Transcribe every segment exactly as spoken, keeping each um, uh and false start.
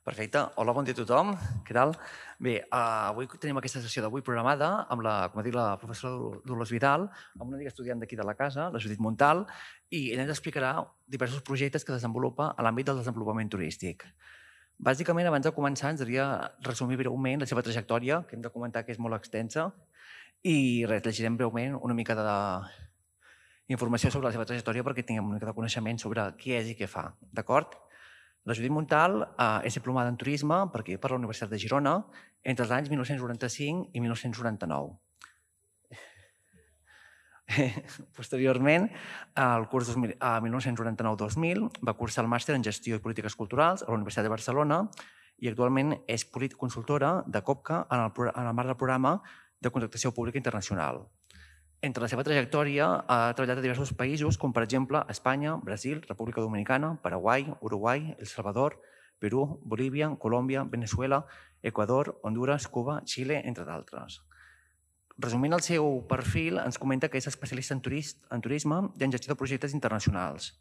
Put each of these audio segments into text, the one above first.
Perfecte. Hola, bon dia a tothom. Què tal? Bé, uh, avui tenim aquesta sessió d'avui programada amb la, com ha dit la professora Dolors Vidal, amb una amiga estudiant d'aquí de la casa, la Judit Montal, i ella ens explicarà diversos projectes que desenvolupa a l'àmbit del desenvolupament turístic. Bàsicament, abans de començar, ens hauria resumir breument la seva trajectòria, que hem de comentar que és molt extensa, i res, llegirem breument una mica d'informació sobre la seva trajectòria perquè tinguem una mica de coneixement sobre qui és i què fa. D'acord? La Judit Montal eh, és diplomada en turisme per aquí, per la Universitat de Girona entre els anys mil nou-cents noranta-cinc i mil nou-cents noranta-nou. Posteriorment, al curs mil nou-cents noranta-nou dos mil, va cursar el màster en Gestió i Polítiques Culturals a la Universitat de Barcelona i actualment és consultora de COPCA en el, en el marc del programa de contractació pública internacional. Entre la seva trajectòria ha treballat a diversos països, com per exemple Espanya, Brasil, República Dominicana, Paraguai, Uruguai, El Salvador, Perú, Bolívia, Colòmbia, Venezuela, Equador, Honduras, Cuba, Xile, entre d'altres. Resumint el seu perfil, ens comenta que és especialista en, turist, en turisme i en gestió de projectes internacionals.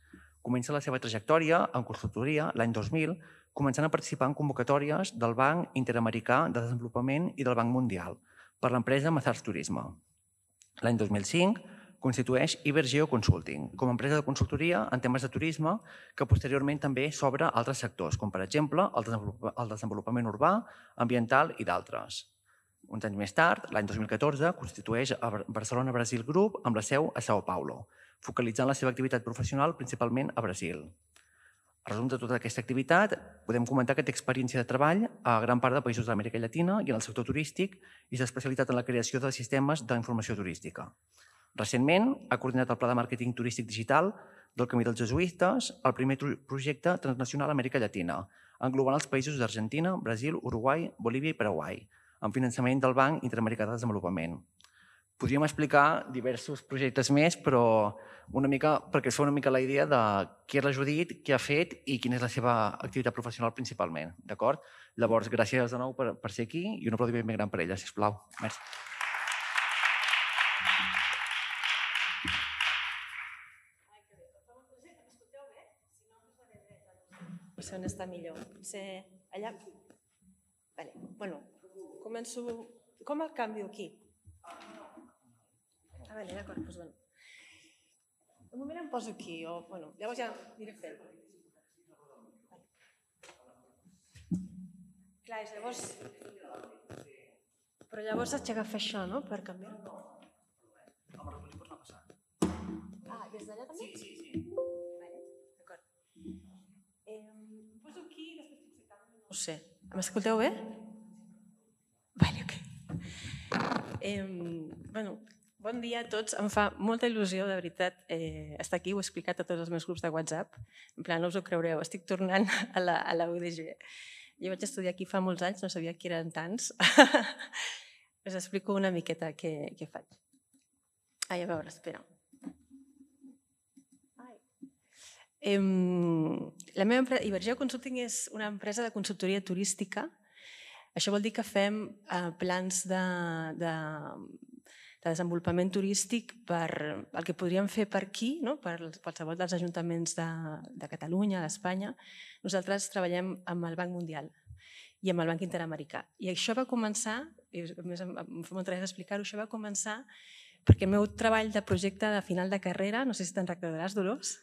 Comença la seva trajectòria en consultoria l'any dos mil, començant a participar en convocatòries del Banc Interamericà de Desenvolupament i del Banc Mundial per l'empresa Mazars Turisme. L'any dos mil cinc constitueix Ibergeo Consulting com a empresa de consultoria en temes de turisme que posteriorment també s'obre a altres sectors, com per exemple el desenvolupament urbà, ambiental i d'altres. Uns anys més tard, l'any dos mil catorze, constitueix Barcelona Brasil Group amb la seu a São Paulo, focalitzant la seva activitat professional principalment a Brasil. A resum de tota aquesta activitat, podem comentar que té experiència de treball a gran part de països d'Amèrica Llatina i en el sector turístic i s'ha especialitzat en la creació de sistemes d'informació turística. Recentment, ha coordinat el Pla de Màrqueting Turístic Digital del Camí dels Jesuïtes, el primer projecte transnacional a Amèrica Llatina, englobant els països d'Argentina, Brasil, Uruguai, Bolívia i Paraguai, amb finançament del Banc Interamericà de Desenvolupament. Podríem explicar diversos projectes més, però una mica, perquè es fa una mica la idea de qui és la Judit, què ha fet i quina és la seva activitat professional principalment. D'acord? Llavors, gràcies de nou per, per ser aquí i un aplaudiment ben gran per ella, sisplau. Merci. No sé on està millor. Potser allà? Vale. Bueno, començo... Com el canvio aquí? Ah, vale, d'acord, doncs bueno. Un moment em poso aquí, o, bueno, llavors ja aniré fent. Clar, és llavors... Però llavors haig d'agafar això, no?, per canviar. Ah, des d'allà també? Sí, sí, sí. Vale, d'acord. Em poso aquí i després potser canvio. No ho sé. M'escolteu bé? Vale, ok. Eh, bueno... Bon dia a tots. Em fa molta il·lusió, de veritat, eh, estar aquí. Ho he explicat a tots els meus grups de WhatsApp. En plan, no us ho creureu, estic tornant a la, a la U D G. Jo vaig estudiar aquí fa molts anys, no sabia que eren tants. Us explico una miqueta què, què faig. Ai, a veure, espera. Ai. Eh, la meva empresa, Ibergeo Consulting, és una empresa de consultoria turística. Això vol dir que fem eh, plans de... de de desenvolupament turístic per el que podríem fer per aquí, no? Per qualsevol dels ajuntaments de, de Catalunya, d'Espanya. Nosaltres treballem amb el Banc Mundial i amb el Banc Interamericà. I això va començar, i a més em fa molta gràcia explicar-ho, això va començar perquè el meu treball de projecte de final de carrera, no sé si te'n recordaràs, Dolors,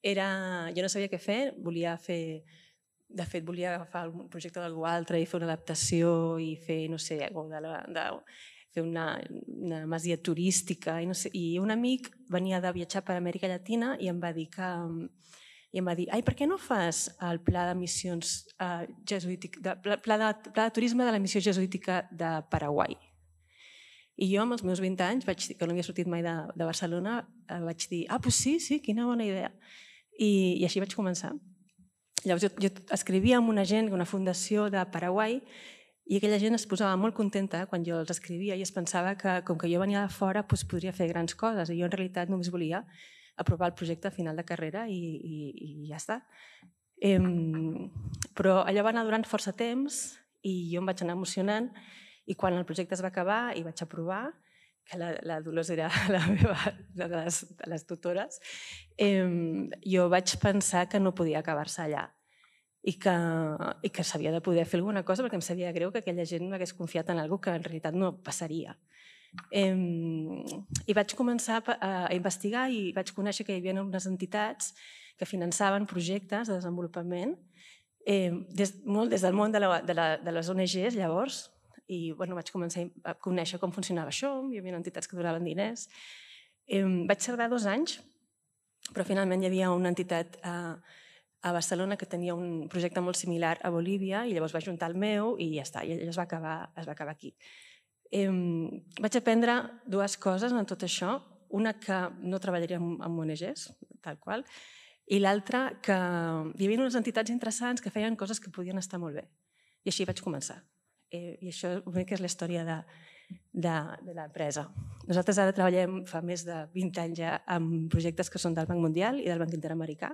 era, jo no sabia què fer, volia fer... De fet, volia agafar un projecte d'algú altre i fer una adaptació i fer, no sé, de la... De, fer una, una masia turística i, no sé, i un amic venia de viatjar per Amèrica Llatina i em va dir que i em va dir, ai, per què no fas el pla de missions eh, jesuític, de, pla, de, pla de turisme de la missió jesuítica de Paraguai? I jo, amb els meus vint anys, vaig dir, que no havia sortit mai de, de Barcelona, eh, vaig dir, ah, doncs sí, sí, quina bona idea. I, i així vaig començar. Llavors jo, jo escrivia amb una gent, una fundació de Paraguai, i aquella gent es posava molt contenta quan jo els escrivia i es pensava que, com que jo venia de fora, doncs podria fer grans coses. I jo, en realitat, només volia aprovar el projecte a final de carrera i, i, i ja està. Eh, però allò va anar durant força temps i jo em vaig anar emocionant i quan el projecte es va acabar i vaig aprovar, que la, la Dolors era la meva, una de les, de les tutores, eh, jo vaig pensar que no podia acabar-se allà. i que, i que s'havia de poder fer alguna cosa perquè em sabia greu que aquella gent m'hagués confiat en alguna cosa que en realitat no passaria. Eh, I vaig començar a investigar i vaig conèixer que hi havia unes entitats que finançaven projectes de desenvolupament eh, des, molt des del món de, la, de, la, de les O N Ges llavors, i bueno, vaig començar a conèixer com funcionava això, hi havia entitats que donaven diners. Eh, vaig tardar dos anys, però finalment hi havia una entitat a, a Barcelona que tenia un projecte molt similar a Bolívia i llavors va juntar el meu i ja està, i es va acabar, es va acabar aquí. Eh, vaig aprendre dues coses en tot això, una que no treballaria amb, amb O N Ges, tal qual, i l'altra que hi havia unes entitats interessants que feien coses que podien estar molt bé. I així vaig començar. Eh, I això que és la història de, de, de l'empresa. Nosaltres ara treballem fa més de vint anys ja amb projectes que són del Banc Mundial i del Banc Interamericà.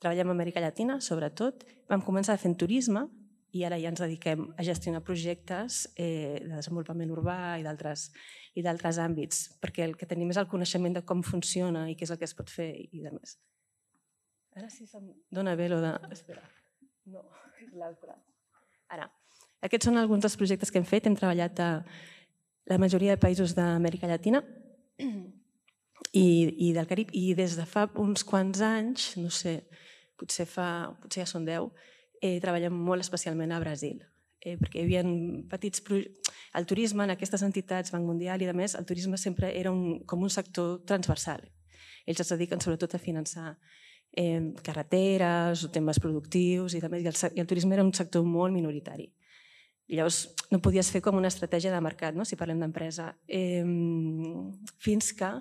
Treballem a Amèrica Llatina, sobretot. Vam començar fent turisme i ara ja ens dediquem a gestionar projectes eh, de desenvolupament urbà i d'altres i d'altres àmbits, perquè el que tenim és el coneixement de com funciona i què és el que es pot fer i de més. Ara sí se'm dona bé lo de... Espera, no, és l'altre. Ara, aquests són alguns dels projectes que hem fet. Hem treballat a la majoria de països d'Amèrica Llatina i, i del Carib, i des de fa uns quants anys, no sé, potser, fa, potser ja són deu, eh, treballem molt especialment a Brasil, eh, perquè hi havia petits projectes. El turisme en aquestes entitats, Banc Mundial i de més, el turisme sempre era un, com un sector transversal. Ells es dediquen sobretot a finançar eh, carreteres o temes productius i, de més, i, el, i el turisme era un sector molt minoritari. I llavors no podies fer com una estratègia de mercat, no? Si parlem d'empresa. Eh, fins que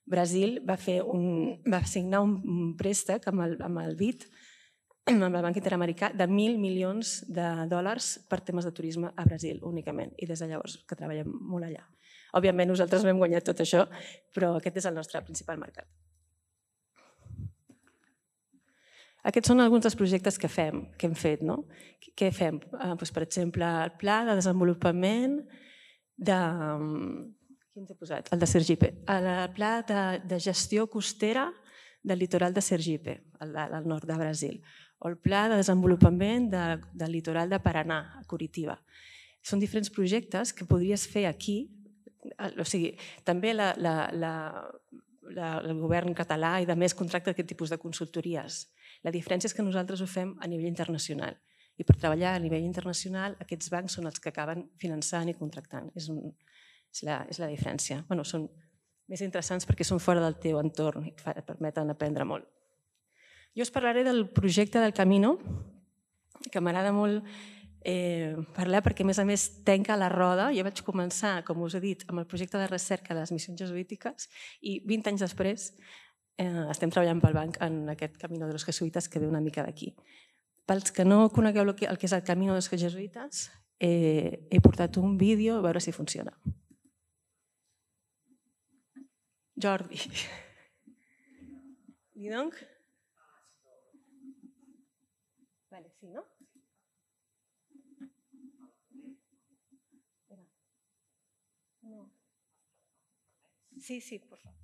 Brasil va, fer un, va signar un préstec amb el, amb el B I D, amb el Banc Interamericà, de mil milions de dòlars per temes de turisme a Brasil únicament. I des de llavors que treballem molt allà. Òbviament nosaltres no hem guanyat tot això, però aquest és el nostre principal mercat. Aquests són alguns dels projectes que fem, que hem fet. No? Què fem? Eh, doncs, per exemple, el pla de desenvolupament de... Quin t'he posat? El de Sergipe. El pla de, de gestió costera del litoral de Sergipe, al, al nord de Brasil. O el pla de desenvolupament de, del litoral de Paraná, a Curitiba. Són diferents projectes que podries fer aquí. O sigui, també la, la, la, la, el govern català i de més contracta aquest tipus de consultories. La diferència és que nosaltres ho fem a nivell internacional. I per treballar a nivell internacional, aquests bancs són els que acaben finançant i contractant. És, un, és, la, és la diferència. Bueno, són més interessants perquè són fora del teu entorn i et permeten aprendre molt. Jo us parlaré del projecte del Camino, que m'agrada molt eh, parlar perquè, a més a més, tenca la roda. Jo vaig començar, com us he dit, amb el projecte de recerca de les missions jesuítiques i vint anys després eh, estem treballant pel banc en aquest Camino de los Jesuitas que ve una mica d'aquí. Pels que no conegueu el que és el Camino de los Jesuitas, eh, he portat un vídeo a veure si funciona. Jordi. I donc? Vale, sí, ¿no? No. Sí, sí, por favor.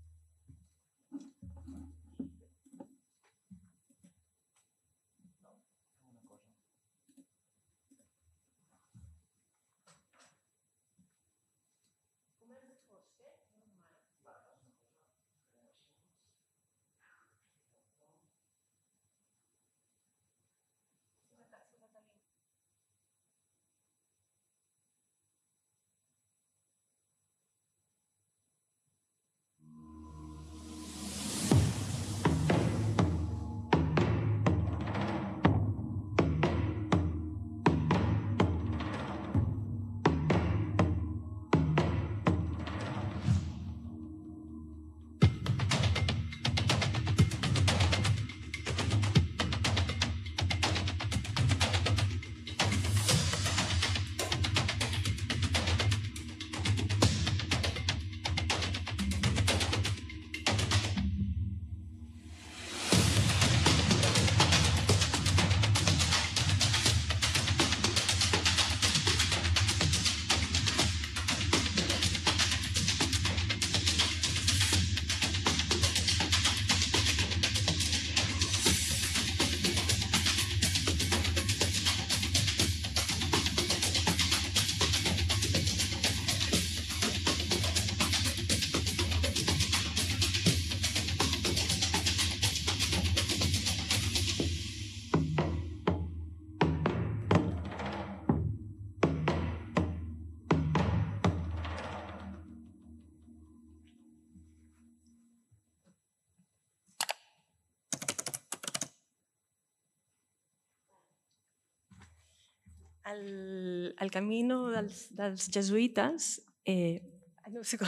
El, el camino dels, dels jesuïtes, eh, no sé com...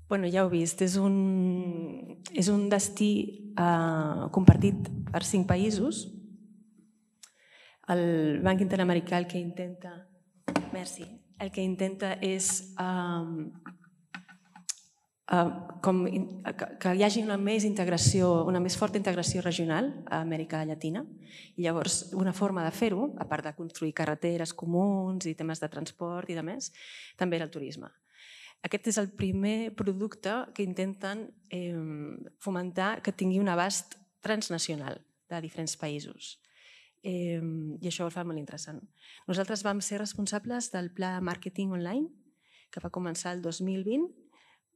bueno, ja ho he vist, és un, és un destí eh, compartit per cinc països. El Banc Interamericà el que intenta, merci, el que intenta és um, Uh, com, que, que hi hagi una més integració, una més forta integració regional a Amèrica Llatina. I llavors, una forma de fer-ho, a part de construir carreteres comuns i temes de transport i de més, també era el turisme. Aquest és el primer producte que intenten eh, fomentar que tingui un abast transnacional de diferents països. Eh, I això ho fa molt interessant. Nosaltres vam ser responsables del pla de màrqueting online, que va començar el dos mil vint,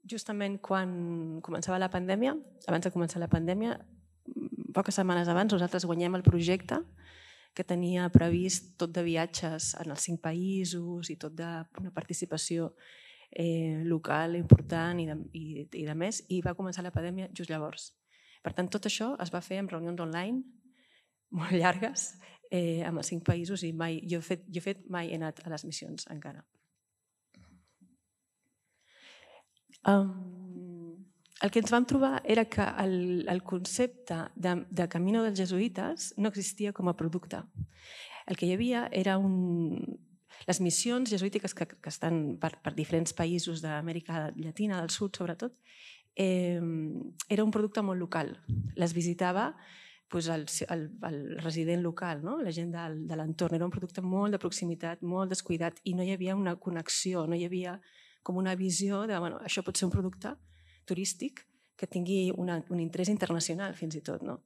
justament quan començava la pandèmia, abans de començar la pandèmia, poques setmanes abans, nosaltres guanyem el projecte que tenia previst tot de viatges en els cinc països i tot d'una participació eh, local important i de, i, i de més, i va començar la pandèmia just llavors. Per tant, tot això es va fer en reunions online molt llargues eh, amb els cinc països i mai, jo, he fet, jo he fet mai he anat a les missions encara. Um, el que ens vam trobar era que el, el concepte de, de Camino dels Jesuïtes no existia com a producte. El que hi havia era un... Les missions jesuítiques que, que estan per, per diferents països d'Amèrica Llatina, del sud sobretot, eh, era un producte molt local. Les visitava pues, el, el, el resident local, no? La gent de, de l'entorn. Era un producte molt de proximitat, molt descuidat i no hi havia una connexió, no hi havia com una visió de, bueno, això pot ser un producte turístic que tingui una, un interès internacional fins i tot. No?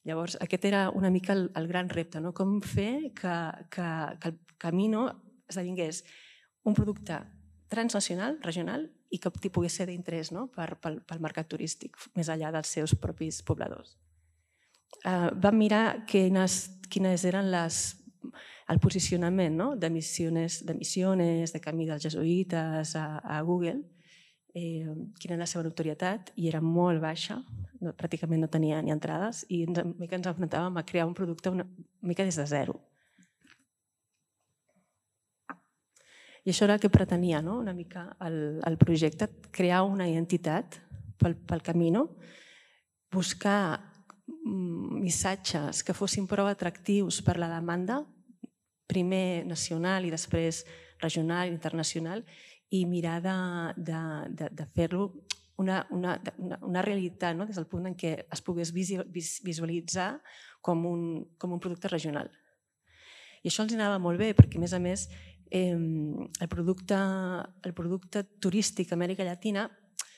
Llavors, aquest era una mica el, el gran repte, no? Com fer que, que, que el Camino esdevingués un producte transnacional, regional, i que pogués ser d'interès, no? per, pel, pel mercat turístic, més enllà dels seus propis pobladors. Uh, vam mirar quines, quines eren les el posicionament, no? de missiones, de missiones, de Camí dels Jesuïtes a, a Google, eh, quina era la seva notorietat, i era molt baixa, no, pràcticament no tenia ni entrades, i ens, una mica ens enfrontàvem a crear un producte una, una mica des de zero. I això era el que pretenia, no? una mica el, el projecte, crear una identitat pel, pel Camino, buscar missatges que fossin prou atractius per la demanda, primer nacional i després regional i internacional, i mirar de, de, de, de fer-lo una, una, una, una realitat, no? des del punt en què es pogués visualitzar com un, com un producte regional. I això els anava molt bé perquè, a més a més, eh, el, producte, el producte turístic a Amèrica Llatina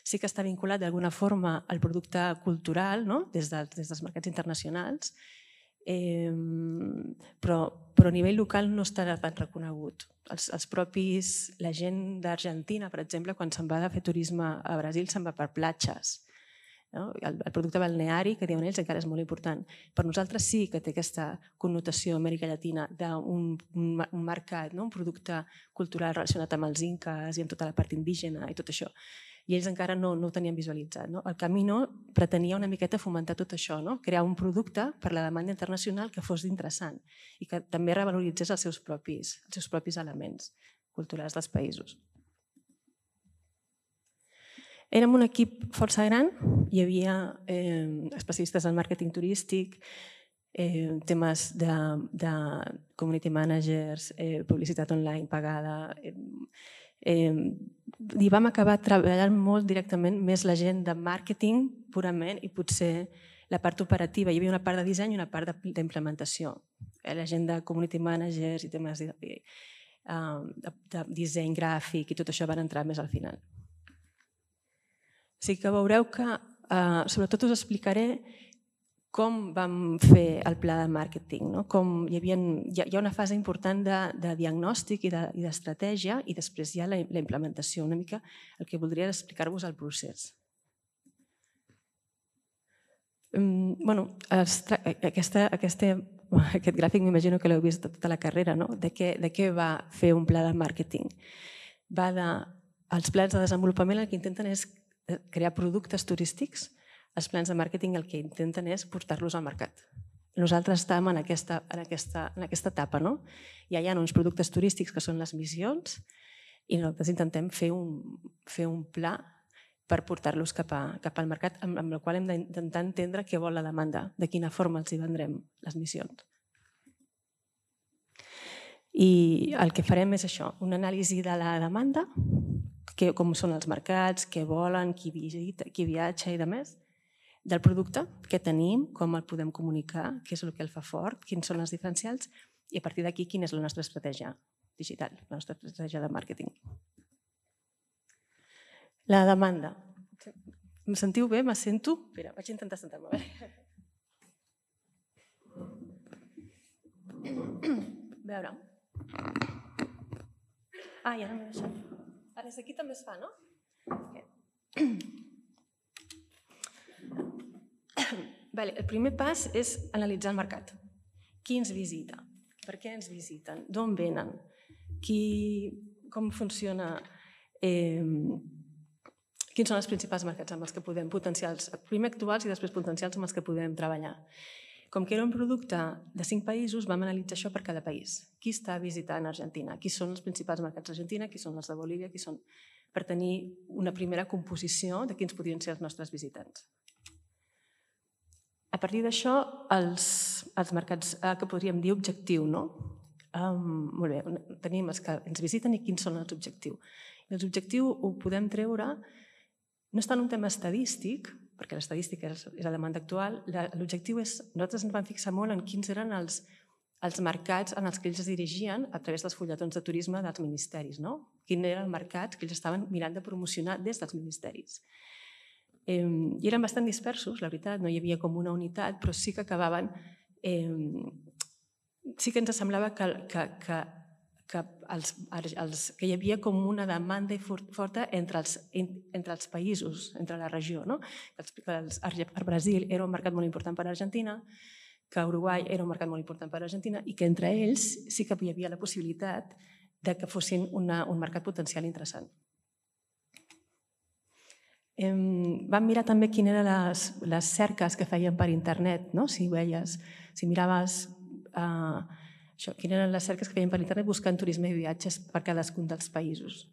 sí que està vinculat d'alguna forma al producte cultural, no? des, de, des dels mercats internacionals, Eh, però, però a nivell local no estarà tan reconegut. Els, els propis, la gent d'Argentina, per exemple, quan se'n va a fer turisme a Brasil, se'n va per platges. No? El, el producte balneari, que diuen ells, encara és molt important. Per nosaltres sí que té aquesta connotació a Amèrica Llatina d'un un, un mercat, no? Un producte cultural relacionat amb els inques i amb tota la part indígena i tot això. I ells encara no, no ho tenien visualitzat. No? El Camino pretenia una miqueta fomentar tot això, no? Crear un producte per la demanda internacional que fos interessant i que també revaloritzés els seus propis, els seus propis elements culturals dels països. Érem un equip força gran, hi havia eh, especialistes en màrqueting turístic, eh, temes de, de community managers, eh, publicitat online pagada... Eh, Eh, i vam acabar treballant molt directament més la gent de màrqueting purament i potser la part operativa. Hi havia una part de disseny i una part d'implementació. La gent de community managers i temes de, de, de disseny gràfic i tot això van entrar més al final. Sí que veureu que eh, sobretot us explicaré com vam fer el pla de màrqueting, no? Com hi, havia, hi ha una fase important de, de diagnòstic i d'estratègia i, i després hi ha la, la implementació. Una mica el que voldria explicar-vos el procés. Um, bueno, aquesta, aquesta, aquest gràfic m'imagino que l'heu vist tota la carrera, no? De què, de què va fer un pla de màrqueting? Va de, els plans de desenvolupament el que intenten és crear productes turístics. Els plans de màrqueting el que intenten és portar-los al mercat. Nosaltres estem en aquesta, en aquesta, en aquesta etapa. No? Ja hi ha uns productes turístics que són les missions i nosaltres intentem fer un, fer un pla per portar-los cap, a, cap al mercat, amb, amb el qual hem d'intentar entendre què vol la demanda, de quina forma els hi vendrem les missions. I el que farem és això, una anàlisi de la demanda, que, com són els mercats, què volen, qui visita, qui viatja i demés, del producte, què tenim, com el podem comunicar, què és el que el fa fort, quins són els diferencials i a partir d'aquí quina és la nostra estratègia digital, la nostra estratègia de màrqueting. La demanda. Em sentiu bé? M'assento? Espera, vaig intentar sentar-me. A veure. Ah, ja no m'he deixat. Ara des d'aquí també es fa, no? Vale, el primer pas és analitzar el mercat. Qui ens visita? Per què ens visiten? D'on venen? Qui, com funciona? Eh, quins són els principals mercats amb els que podem potencials, primer actuals i després potencials amb els que podem treballar? Com que era un producte de cinc països, vam analitzar això per cada país. Qui està visitant Argentina? Qui són els principals mercats d'Argentina? Qui són els de Bolívia? Qui són... Per tenir una primera composició de quins podrien ser els nostres visitants. A partir d'això, els, els mercats que podríem dir objectiu, no? Um, molt bé, tenim els que ens visiten i quins són els objectius. I els objectius ho podem treure, no és tant un tema estadístic, perquè l'estadística és la demanda actual, l'objectiu és, nosaltres ens vam fixar molt en quins eren els, els mercats en els que ells es dirigien a través dels fulletons de turisme dels ministeris, no? Quin era el mercat que ells estaven mirant de promocionar des dels ministeris. Eh, I eren bastant dispersos, la veritat, no hi havia com una unitat, però sí que acabaven... Eh, sí que ens semblava que, que, que, que, els, els, que hi havia com una demanda forta entre els, entre els països, entre la regió. No? Que els, el Brasil era un mercat molt important per a Argentina, que Uruguai era un mercat molt important per a Argentina i que entre ells sí que hi havia la possibilitat de que fossin una, un mercat potencial interessant. Vam mirar també quines eren les, les cerques que feien per internet, no? Si veies, si miraves uh, això, quines eren les cerques que feien per internet buscant turisme i viatges per cadascun dels països,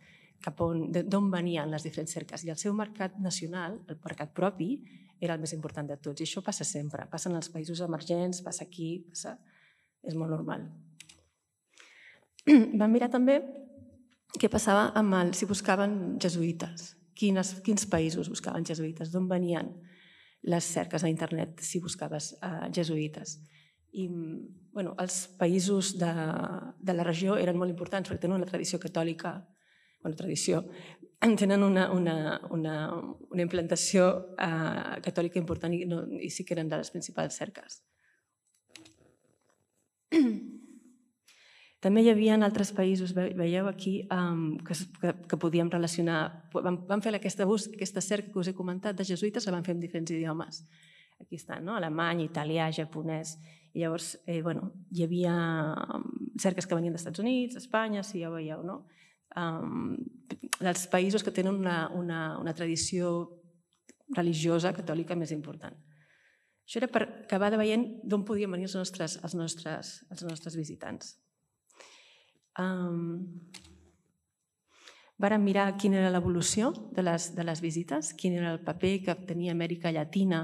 cap on, d'on venien les diferents cerques. I el seu mercat nacional, el mercat propi, era el més important de tots. I això passa sempre, passa en els països emergents, passa aquí, passa... és molt normal. Vam mirar també què passava amb el, si buscaven jesuïtes. Quines, quins països buscaven jesuïtes, d'on venien les cerques a internet si buscaves uh, jesuïtes. I bueno, els països de, de la regió eren molt importants perquè tenen una tradició catòlica, bueno, tradició, tenen una, una, una, una implantació uh, catòlica important i, no, i sí que eren de les principals cerques. També hi havia altres països, veieu aquí, um, que, que, que podíem relacionar. Vam, vam fer aquesta, bus, aquesta cerca que us he comentat de jesuïtes, la vam fer en diferents idiomes. Aquí estan, no? Alemany, italià, japonès. I llavors, eh, bueno, hi havia cerques que venien dels Estats Units, Espanya, si ja ho veieu, no? Um, dels països que tenen una, una, una tradició religiosa catòlica més important. Això era per acabar de veient d'on podien venir els nostres, els nostres, els nostres visitants. Um, vàrem mirar quina era l'evolució de les, de les visites, quin era el paper que tenia Amèrica Llatina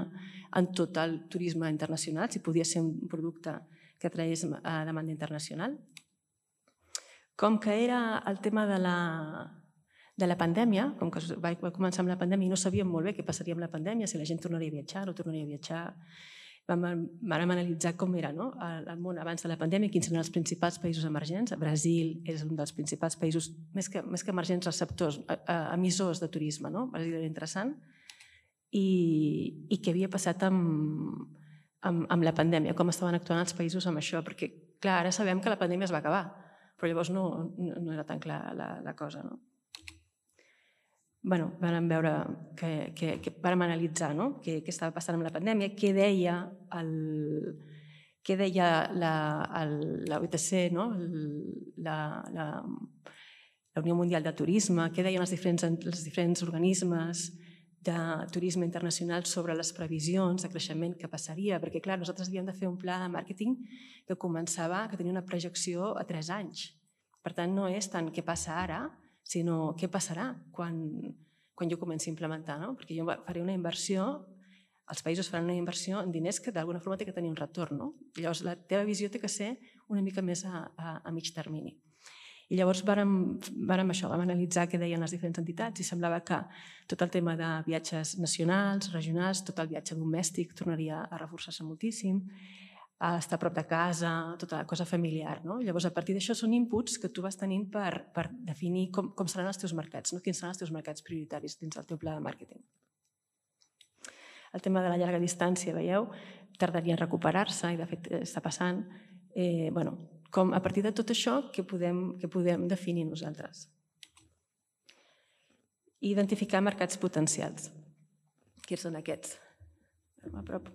en tot el turisme internacional, si podia ser un producte que tragués a demanda internacional. Com que era el tema de la, de la pandèmia, com que va començar amb la pandèmia i no sabíem molt bé què passaria amb la pandèmia, si la gent tornaria a viatjar o no tornaria a viatjar, vam, vam analitzar com era, no? El món abans de la pandèmia, quins eren els principals països emergents. Brasil és un dels principals països, més que, més que emergents, receptors, emissors de turisme. No? Brasil era interessant. I, i què havia passat amb, amb, amb la pandèmia, com estaven actuant els països amb això. Perquè, clar, ara sabem que la pandèmia es va acabar, però llavors no, no era tan clar la, la cosa. No? Bueno, vam veure, que, que, que vam analitzar, no? què, què estava passant amb la pandèmia, què deia, el, què deia la, el, la U T C, no? la, la, la Unió Mundial de Turisme, què deien els diferents, els diferents organismes, de turisme internacional sobre les previsions de creixement que passaria, perquè clar, nosaltres havíem de fer un pla de màrqueting que començava, que tenia una projecció a tres anys. Per tant, no és tant què passa ara, sinó què passarà quan, quan jo comenci a implementar, no? Perquè jo faré una inversió, els països faran una inversió en diners que d'alguna forma té que tenir un retorn, no? Llavors, la teva visió té que ser una mica més a, a, a mig termini. I llavors vàrem, vàrem això, vam analitzar què deien les diferents entitats i semblava que tot el tema de viatges nacionals, regionals, tot el viatge domèstic tornaria a reforçar-se moltíssim, a estar a prop de casa, tota la cosa familiar. No? Llavors, a partir d'això són inputs que tu vas tenint per, per definir com, com seran els teus mercats, no? Quins seran els teus mercats prioritaris dins del teu pla de màrqueting. El tema de la llarga distància, veieu, tardaria en recuperar-se i de fet està passant. Eh, bueno, com a partir de tot això, què podem, què podem definir nosaltres? Identificar mercats potencials. Quins són aquests? A prop.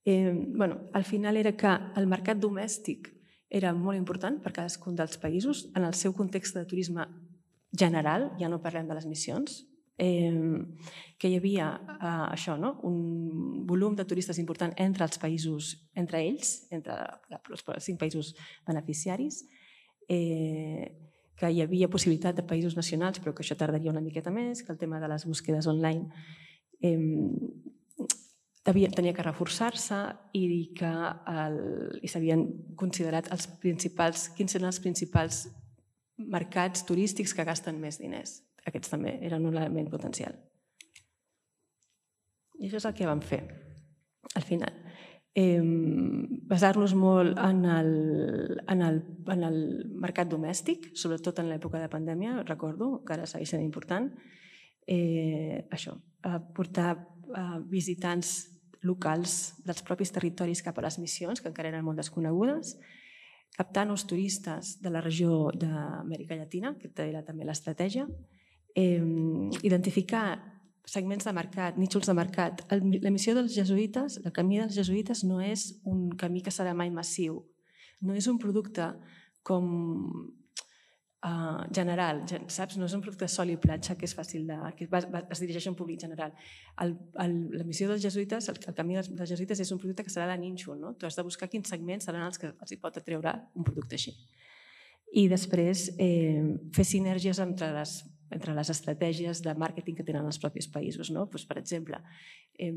Eh, bueno, al final era que el mercat domèstic era molt important per cadascun dels països en el seu context de turisme general, ja no parlem de les missions, eh, que hi havia eh, això, no? Un volum de turistes important entre els països, entre ells, entre els cinc països beneficiaris, eh, que hi havia possibilitat de països nacionals, però que això tardaria una miqueta més, que el tema de les búsquedes online eh, tenia que reforçar-se i que s'havien considerat els principals, quins eren els principals mercats turístics que gasten més diners. Aquests també eren un element potencial. I això és el que vam fer, al final. Eh, basar-nos molt en el, en, el, en el mercat domèstic, sobretot en l'època de pandèmia, recordo, que ara segueix sent important. Eh, això, portar eh, visitants locals dels propis territoris cap a les missions, que encara eren molt desconegudes, captar nous turistes de la regió d'Amèrica Llatina, que era també l'estratègia, eh, identificar segments de mercat, nínxols de mercat. La missió dels jesuïtes, el camí dels jesuïtes no és un camí que serà mai massiu, no és un producte com Uh, general, saps? No és un producte sol i platja que és fàcil de... que va, va, es dirigeix a un públic general. El, el, la missió dels jesuïtes, el, el camí dels, dels jesuïtes és un producte que serà de nínxol, no? Tu has de buscar quins segments seran els que els hi pot atreure un producte així. I després eh, fer sinergies entre les, entre les estratègies de màrqueting que tenen els propis països, no? Pues, per exemple, eh,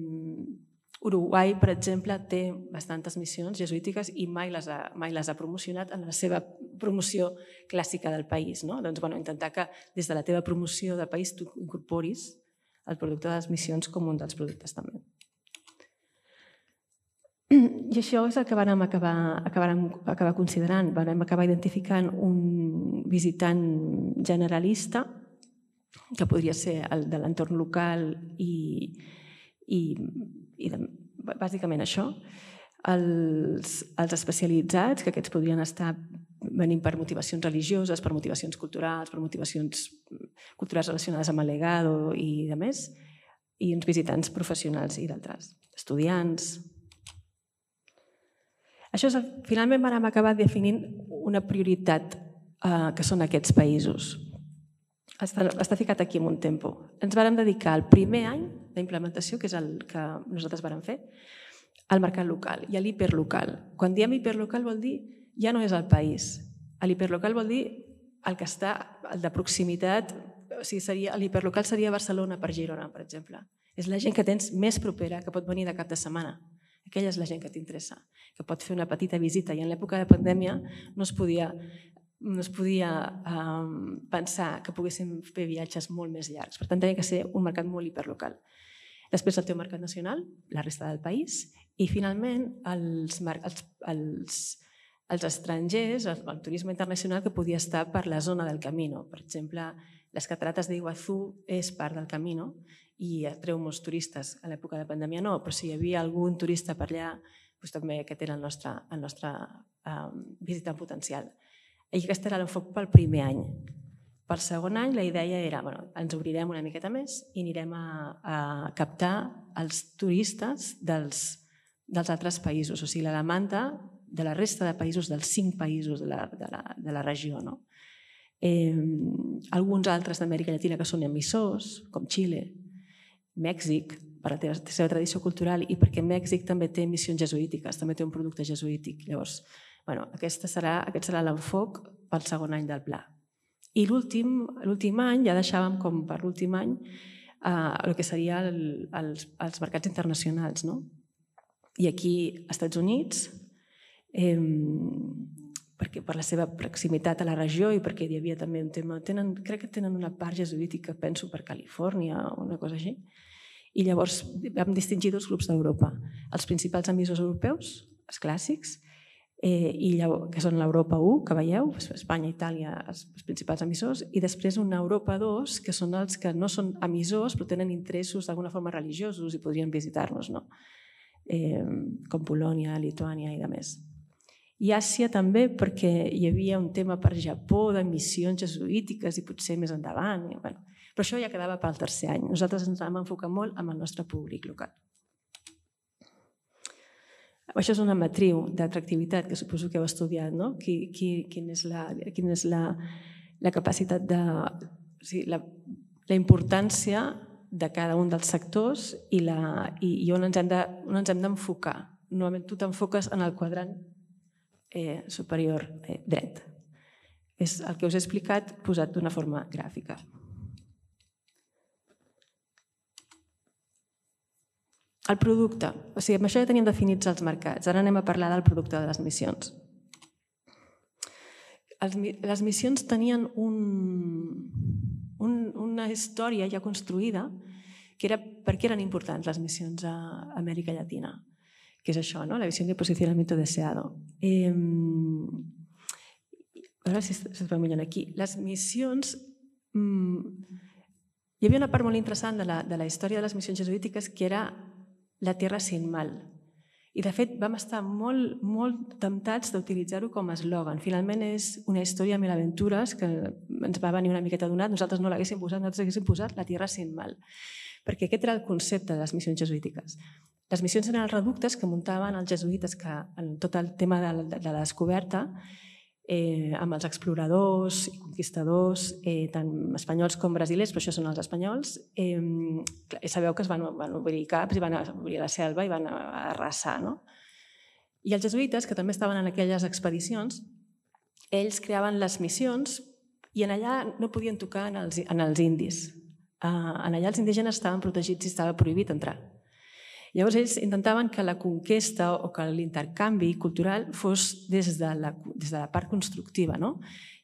Uruguai, per exemple, té bastantes missions jesuítiques i mai les ha, mai les ha promocionat en la seva promoció clàssica del país. No? Doncs, bueno, intentar que des de la teva promoció del país tu incorporis el producte de les missions com un dels productes també. I això és el que vam acabar, acabar, acabar considerant. Vam acabar identificant un visitant generalista que podria ser el de l'entorn local i, i i de, bàsicament això, els, els especialitzats, que aquests podrien estar venint per motivacions religioses, per motivacions culturals, per motivacions culturals relacionades amb el legado i de més, i uns visitants professionals i d'altres, estudiants. Això és, finalment vam acabar definint una prioritat eh, que són aquests països. Està, està ficat aquí en un tempo. Ens vàrem dedicar al primer any d'implementació, que és el que nosaltres vàrem fer, al mercat local i a l'hiperlocal. Quan diem hiperlocal vol dir ja no és el país. L'hiperlocal vol dir el que està, el de proximitat, o sigui, seria, l'hiperlocal seria Barcelona per Girona, per exemple. És la gent que tens més propera, que pot venir de cap de setmana. Aquella és la gent que t'interessa, que pot fer una petita visita. I en l'època de pandèmia no es podia... no es podia um, pensar que poguéssim fer viatges molt més llargs. Per tant, tenia que ser un mercat molt hiperlocal. Després el teu mercat nacional, la resta del país, i finalment els, els, els, els estrangers, el, el turisme internacional que podia estar per la zona del Camino. Per exemple, les catarates d'Iguazú és part del Camino i atreu molts turistes. A l'època de pandèmia no, però si hi havia algun turista per allà, doncs també aquest era el nostre, el nostre um, visitant potencial. I aquest era l'enfoc pel primer any. Pel segon any la idea era, bueno, ens obrirem una miqueta més i anirem a, a captar els turistes dels, dels altres països, o sigui, la demanda de la resta de països, dels cinc països de la, de la, de la regió. No? Eh, alguns altres d'Amèrica Llatina que són emissors, com Xile, Mèxic, per la seva tradició cultural i perquè Mèxic també té missions jesuítiques, també té un producte jesuític. Llavors, bueno, aquest serà, aquest serà l'enfoc pel segon any del pla. I l'últim any, ja deixàvem com per l'últim any, eh, el que seria el, els, els mercats internacionals. No? I aquí, als Estats Units, eh, perquè per la seva proximitat a la regió i perquè hi havia també un tema... Tenen, crec que tenen una part jesuítica, penso, per Califòrnia o una cosa així. I llavors vam distingir dos grups d'Europa. Els principals emissors europeus, els clàssics, eh, i llavors, que són l'Europa u, que veieu, Espanya, Itàlia, els, els principals emissors, i després una Europa dos, que són els que no són emissors però tenen interessos d'alguna forma religiosos i podrien visitar-nos, no? eh, com Polònia, Lituània i de més. I Àsia també perquè hi havia un tema per Japó de missions jesuítiques i potser més endavant. I, bueno, però això ja quedava pel tercer any. Nosaltres ens vam enfocar molt amb el nostre públic local. Això és una matriu d'atractivitat que suposo que heu estudiat, no? Qui, qui, quina és, la, quina és la, la capacitat de... O sigui, la, la importància de cada un dels sectors i, la, i, i on ens hem de, on ens hem d'enfocar. Normalment tu t'enfoques en el quadrant eh, superior eh, dret. És el que us he explicat posat d'una forma gràfica. El producte. O sigui, amb això ja teníem definits els mercats. Ara anem a parlar del producte de les missions. Les missions tenien un, un, una història ja construïda que era per què eren importants les missions a Amèrica Llatina, que és això, no? La visión de posicionamiento deseado. Eh, a veure si es veu millor aquí. Les missions... Mm, hi havia una part molt interessant de la, de la història de les missions jesuítiques que era la tierra sin mal. I, de fet, vam estar molt, molt temptats d'utilitzar-ho com a eslògan. Finalment, és una història mil aventures que ens va venir una miqueta donat. Nosaltres no l'haguéssim posat, nosaltres haguéssim posat la tierra sin mal. Perquè aquest era el concepte de les missions jesuítiques. Les missions eren els reductes que muntaven els jesuïtes que en tot el tema de la, de la descoberta Eh, amb els exploradors i conquistadors, eh, tant espanyols com brasilers, però això són els espanyols, eh, sabeu que es van, van obrir caps i van obrir la selva i van arrasar. No? I els jesuïtes, que també estaven en aquelles expedicions, ells creaven les missions i en allà no podien tocar en els, en els indis. Eh, en allà els indígenes estaven protegits i estava prohibit entrar. Llavors ells intentaven que la conquesta o que l'intercanvi cultural fos des de la, des de la part constructiva, no?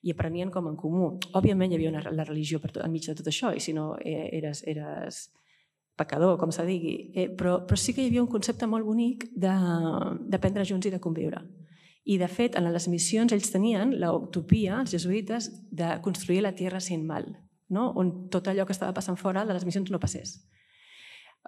I aprenien com en comú. Òbviament hi havia una, la religió per tot, enmig de tot això, i si no eh, eres, eres pecador, com se digui. Eh, però, però sí que hi havia un concepte molt bonic d'aprendre junts i de conviure. I de fet, en les missions ells tenien l'utopia, els jesuïtes, de construir la tierra sin mal, no? On tot allò que estava passant fora de les missions no passés.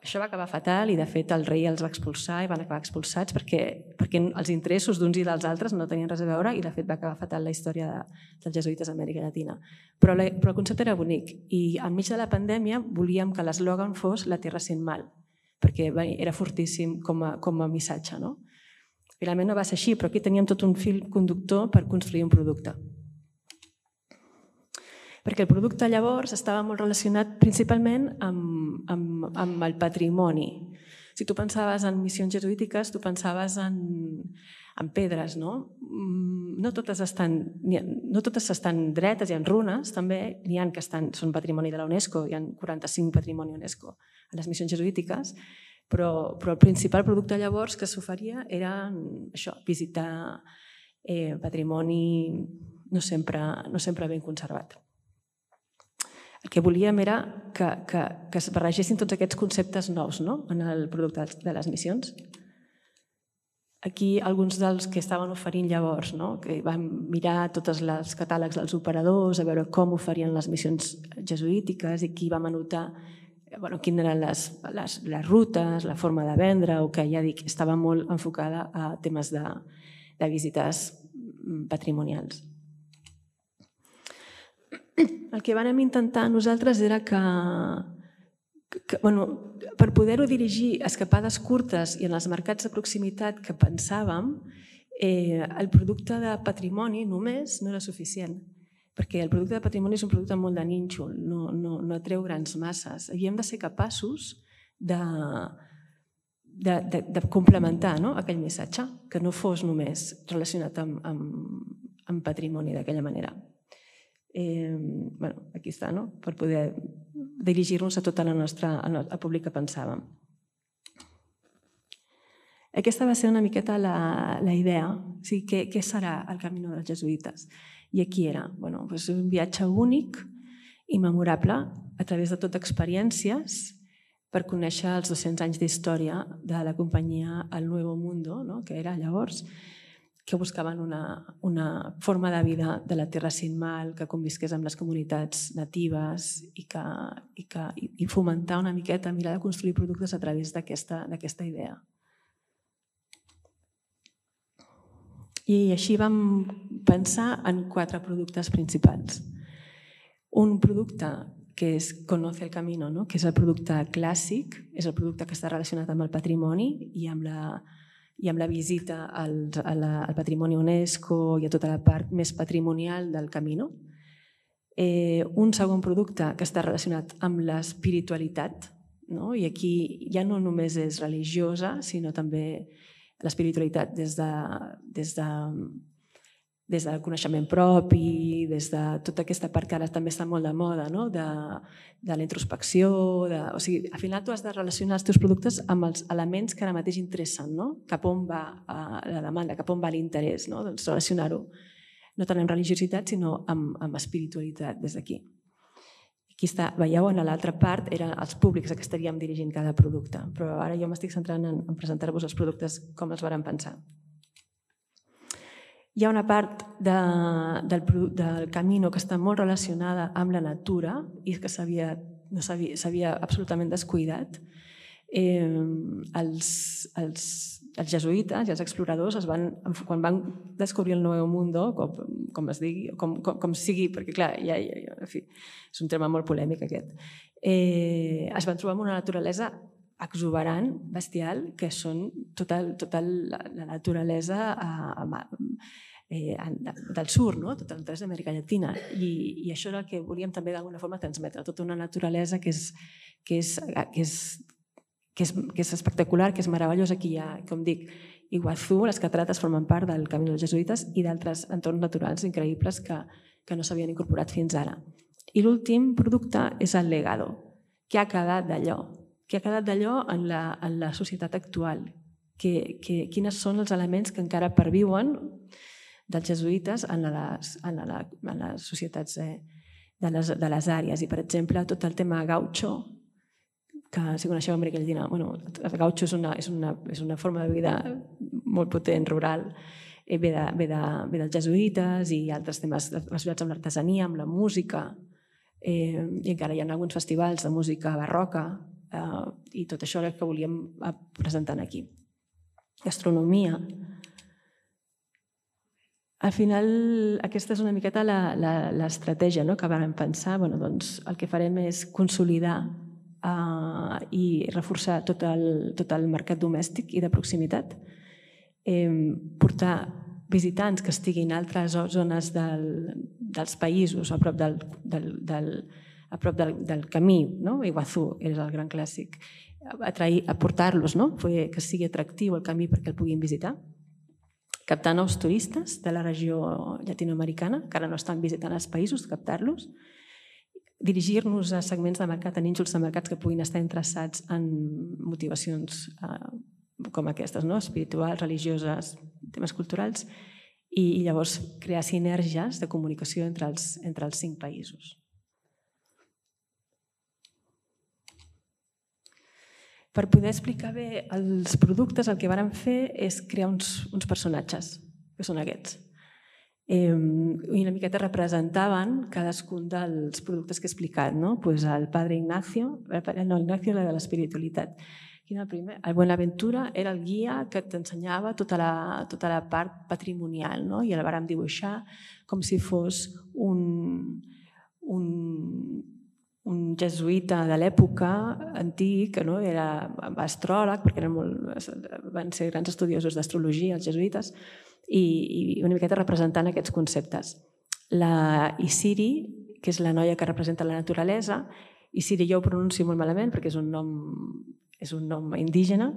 Això va acabar fatal i, de fet, el rei els va expulsar i van acabar expulsats perquè, perquè els interessos d'uns i dels altres no tenien res a veure i, de fet, va acabar fatal la història de, dels jesuïtes a Amèrica Llatina. Però, la, però el concepte era bonic i, enmig de la pandèmia, volíem que l'eslògan fos la tierra sin mal, perquè bé, era fortíssim com a, com a missatge. No? Finalment no va ser així, però aquí teníem tot un fil conductor per construir un producte. Perquè el producte llavors estava molt relacionat principalment amb, amb, amb el patrimoni. Si tu pensaves en missions jesuítiques, tu pensaves en, en pedres, no? No totes estan, no totes estan dretes, hi ha runes, també n'hi ha que estan, són patrimoni de la UNESCO, hi ha quaranta-cinc patrimoni UNESCO a les missions jesuítiques, però, però el principal producte llavors que s'oferia era això, visitar eh, patrimoni no sempre, no sempre ben conservat. El que volíem era que, que, que es barregessin tots aquests conceptes nous, no? En el producte de les missions. Aquí alguns dels que estaven oferint llavors, no? Que vam mirar tots els catàlegs dels operadors, a veure com oferien les missions jesuítiques i aquí vam anotar bueno, quines eren les, les, les rutes, la forma de vendre, o que ja dic, estava molt enfocada a temes de, de visites patrimonials. El que vam intentar nosaltres era que, que bueno, per poder-ho dirigir a escapades curtes i en els mercats de proximitat que pensàvem, eh, el producte de patrimoni només no era suficient, perquè el producte de patrimoni és un producte molt de nínxol, no, no, no atreu grans masses. Havíem de ser capaços de, de, de, de complementar, no?, aquell missatge, que no fos només relacionat amb, amb, amb patrimoni d'aquella manera. Eh, bueno, aquí està, no?, per poder dirigir-nos a tota la nostra, al públic que pensàvem. Aquesta va ser una miqueta la, la idea, o sigui, què, què serà el Camino dels Jesuïtes? I aquí era, bueno, doncs un viatge únic i memorable a través de tot experiències per conèixer els dos-cents anys d'història de la companyia El Nuevo Mundo, no?, que era llavors, que buscaven una, una forma de vida de la terra sin mal, que convisqués amb les comunitats natives i, que, i, que, i fomentar una miqueta, mirar de construir productes a través d'aquesta d'aquesta idea. I així vam pensar en quatre productes principals. Un producte que és Conoce el Camino, no?, que és el producte clàssic, és el producte que està relacionat amb el patrimoni i amb la, i amb la visita al, a la, al patrimoni UNESCO i a tota la part més patrimonial del Camino. Eh, un segon producte que està relacionat amb l'espiritualitat, no?, i aquí ja no només és religiosa, sinó també l'espiritualitat des de, des de, des del coneixement propi, des de tota aquesta part que ara també està molt de moda, no?, de, de la introspecció, de, o sigui, al final tu has de relacionar els teus productes amb els elements que ara mateix interessen, no?, cap on va la demanda, cap on va l'interès, no?, doncs relacionar-ho no tant amb religiositat sinó amb, amb espiritualitat des d'aquí. Aquí està, veieu, en l'altra part eren els públics a què estaríem dirigint cada producte, però ara jo m'estic centrant en, en presentar-vos els productes com els vàrem pensar. Hi ha una part de, del, del Camino que està molt relacionada amb la natura i que s'havia no s'havia absolutament descuidat. Eh, els, els, els jesuïtes i els exploradors es van, quan van descobrir el Nuevo Mundo, com, com es digui, com, com, com sigui, perquè clar, ja, ja, en fi, és un tema molt polèmic aquest, eh, es van trobar amb una naturalesa exuberant, bestial, que són tota, tota la, la naturalesa a, a, eh, del sur, no?, tota la naturalesa d'Amèrica Llatina. I, I això era el que volíem també d'alguna forma transmetre, tota una naturalesa que és, que és, que és Que és, que és espectacular, que és meravellós. Aquí hi ha, com dic, Iguazú, les catarates formen part del Camí dels Jesuïtes i d'altres entorns naturals increïbles que, que no s'havien incorporat fins ara. I l'últim producte és el Legado. Què ha quedat d'allò? Què ha quedat d'allò en, la, en la societat actual? Que, que, quines són els elements que encara perviuen dels jesuïtes en les, en la, en les societats eh, de, les, de les àrees? I, per exemple, tot el tema gaucho, que si coneixeu Amèrica Llatina, bueno, el gaucho és una, és, una, és una forma de vida molt potent, rural, eh, ve, de, ve, de, ve dels jesuïtes i altres temes relacionats amb l'artesania, amb la música, eh, i encara hi ha alguns festivals de música barroca, eh, i tot això és el que volíem presentar aquí. Gastronomia. Al final, aquesta és una miqueta l'estratègia, no?, que vam pensar. Bueno, doncs, el que farem és consolidar Uh, i reforçar tot el, tot el mercat domèstic i de proximitat, eh, portar visitants que estiguin a altres zones del, dels països a prop del, del, del, a prop del, del camí, no? Iguazú és el gran clàssic, atrair, aportar-los, no? Que sigui atractiu el camí perquè el puguin visitar, captar nous turistes de la regió llatinoamericana que ara no estan visitant els països, captar-los, dirigir-nos a segments de mercat, a nínxols de mercats que puguin estar interessats en motivacions eh, com aquestes, no?, espirituals, religioses, temes culturals, i, i llavors crear sinergies de comunicació entre els, entre els cinc països. Per poder explicar bé els productes, el que vàrem fer és crear uns, uns personatges, que són aquests. Eh, i una miqueta representaven cadascun dels productes que he explicat, no? Pues el padre Ignacio, no, Ignacio era de l'espiritualitat. Quin era el primer? El Buenaventura era el guia que t'ensenyava tota la, tota la part patrimonial, no? I el vàrem dibuixar com si fos un, un, un jesuïta de l'època antic, no? Era astròleg, perquè eren molt, van ser grans estudiosos d'astrologia, els jesuïtes, i una miqueta representant aquests conceptes. La Isiri, que és la noia que representa la naturalesa, Isiri jo ho pronuncio molt malament perquè és un nom és un nom indígena,